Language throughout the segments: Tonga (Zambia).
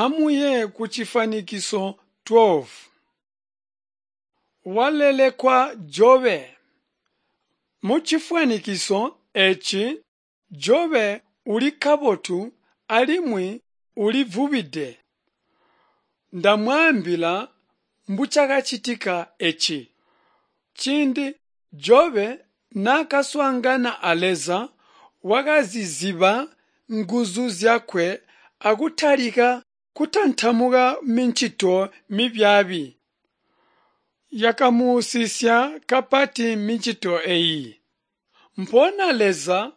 Amuye kucifwanikiso 12. Walelekwa Jobe. Mucifwanikiso eeci, Jobe uli kabotu alimwi ulivwubide. Ndamwaambila mbucakacitika eci. Ciindi Jobe naakaswaangana a Leza, wakazizyiba nguzu zyakwe akutalika kutantamuka micito mibyaabi. Yakamuusisya kapati micito eeyi. Mpoona Leza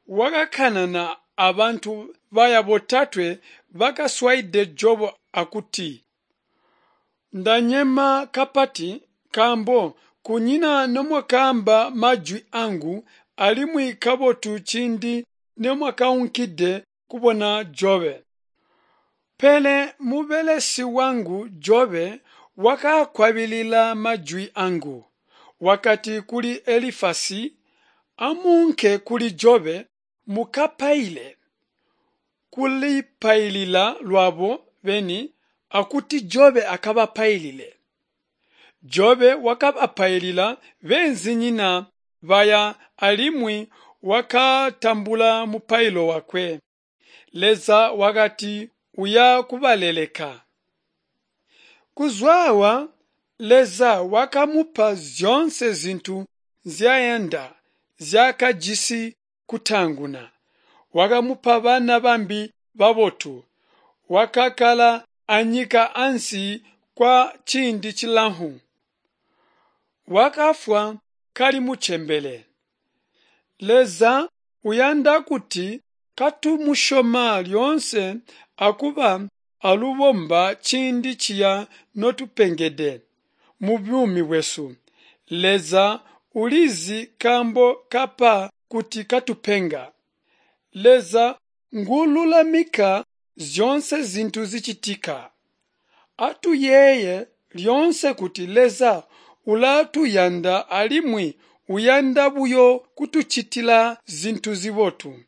wakakanana abantu baya botatwe bakaswaide Jobo akuti, Ndanyema kapati nkaambo kunyina nomwakaamba majwi angu alimwi kabotu ciindi nomwakaunkide kubona Jobe. Pele mubelesi wangu Jobe wakaakwabilila majwi angu. Wakati kuli Elifasi, Amuunke kuli Jobe mukapaile, kulipailila lwabo beni akuti Jobe akabapailile. Jobe wakabapailila beenzinyina baya alimwi wakatambula mupailo wakwe. Leza wakati uya kubaleleka. Kuzwaawa Leza wakamupa zyoonse zintu nzyayanda nzyaakajisi kutaanguna. Wakamupa bana bambi babotu. Wakakkala anyika ansi kwa ciindi cilamfu. Wakafwa kali mucembele. Leza uyanda kuti katumusyoma lyoonse akuba alubomba ciindi ciya notupengede mubuumi bwesu. Leza ulizi kaambo kapa kuti katupenga. Leza nguululamika zyoonse zintu zicitika. Atuyeeye lyoonse kuti Leza ulatuyanda alimwi uyanda buyo kutucitila zintu zibotu.